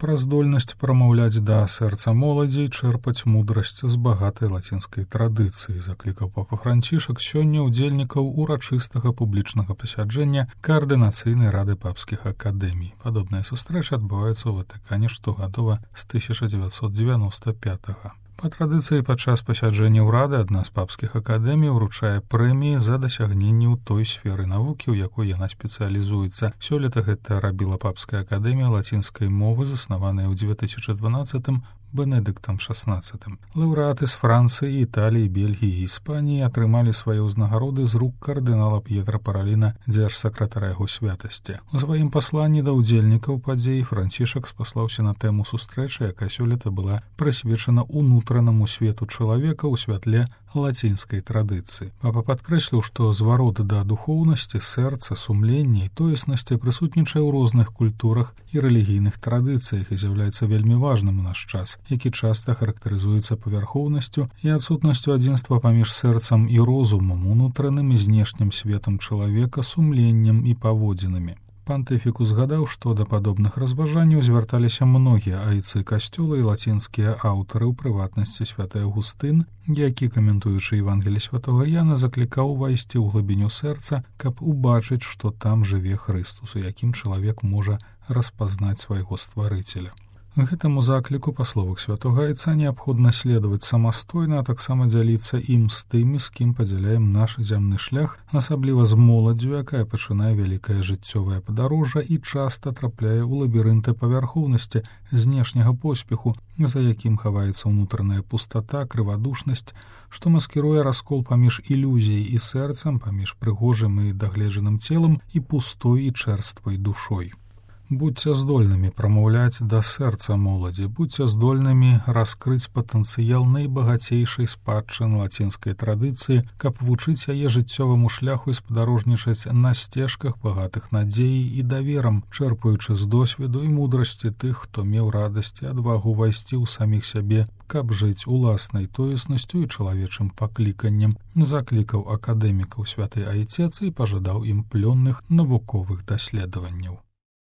пра здольнасць прамаўляць да сэрца моладзі, чэрпаць мудрасць з багатай лацінскай традыцыі, заклікаў папа Францішак сёння ўдзельнікаў урачыстага публічнага пасяджэння Каардынацыйнай рады папскіх акадэмій. Падобныя сустрэчы адбываюцца ў Ватыкане штогадова з 1995-го. Па традыцыі падчас пасяджэння ўрады адна з папскіх акадэмій уручае прэміі за дасягненні ў той сферы навукі, у якой яна спецыялізуецца. Сёлета гэта рабіла папская акадэмія лацінскай мовы, заснаваная ў 2012-м Бенедыктам XVI. Лаўрэаты з Францыі, Італіі, Бельгіі і Іспаніі атрымалі свае ўзнагароды з рук кардынала П'етра Параліна, дзяржсакратара яго святасці. У сваім пасланні да ўдзельнікаў падзей Францішак спаслаўся на тэму сустрэчы, якая сёлета была прысвечана унутранаму свету чалавека ў святле лацінскай традыцыі. Папа падкрэсліў, што зварот да духоўнасці, сэрца, сумлення і тоеснасці прысутнічае ў розных культурах і рэлігійных традыцыях і з'яўляецца вельмі важным у наш час, які часта характарызуецца павярхоўнасцю і адсутнасцю адзінства паміж сэрцам і розумам, унутраным і знешнім светам чалавека, сумленнем і паводзінамі. Пантыфік узгадаў, што да падобных разважанняў звярталіся многія айцы касцёла і лацінскія аўтары, у прыватнасці святы Аўгустын, які, каментуючы Евангелі святога Яна, заклікаў увайсці ў глыбіню сэрца, каб убачыць, што там жыве Хрыстус, у якім чалавек можа распазнаць свайго стварыцеля. Гэтаму закліку, па словах святога айца, неабходна следаваць самастойна, а таксама дзяліцца ім з тымі, з кім падзяляем наш зямны шлях, асабліва з моладдзю, якая пачынае вялікае жыццёвае падарожжа і часта трапляе ў лабірынты павярхоўнасці, знешняга поспеху, за якім хаваецца ўнутраная пустата, крывадушнасць, што маскіруе раскол паміж ілюзіяй і сэрцам, паміж прыгожым і дагледжаным целам і пустой і чэрствай душой. Будьце здольнымі прамаўляць да сэрца моладзі, будьце здольнымі раскрыць патэнцыял найбагацейшай спадчыны лацінскай традыцыі, каб вучыць яе жыццёваму шляху і спадарожнічаць на сцежках багатых надзеяй і даверам, чэрпаючы з досведу і мудрасці тых, хто меў радасць і адвагу ўвайсці ў саміх сябе, каб жыць уласнай тоеснасцю і чалавечым пакліканнем, заклікаў акадэмікаў святы Айцец і пажадаў ім плённых навуковых даследаванняў.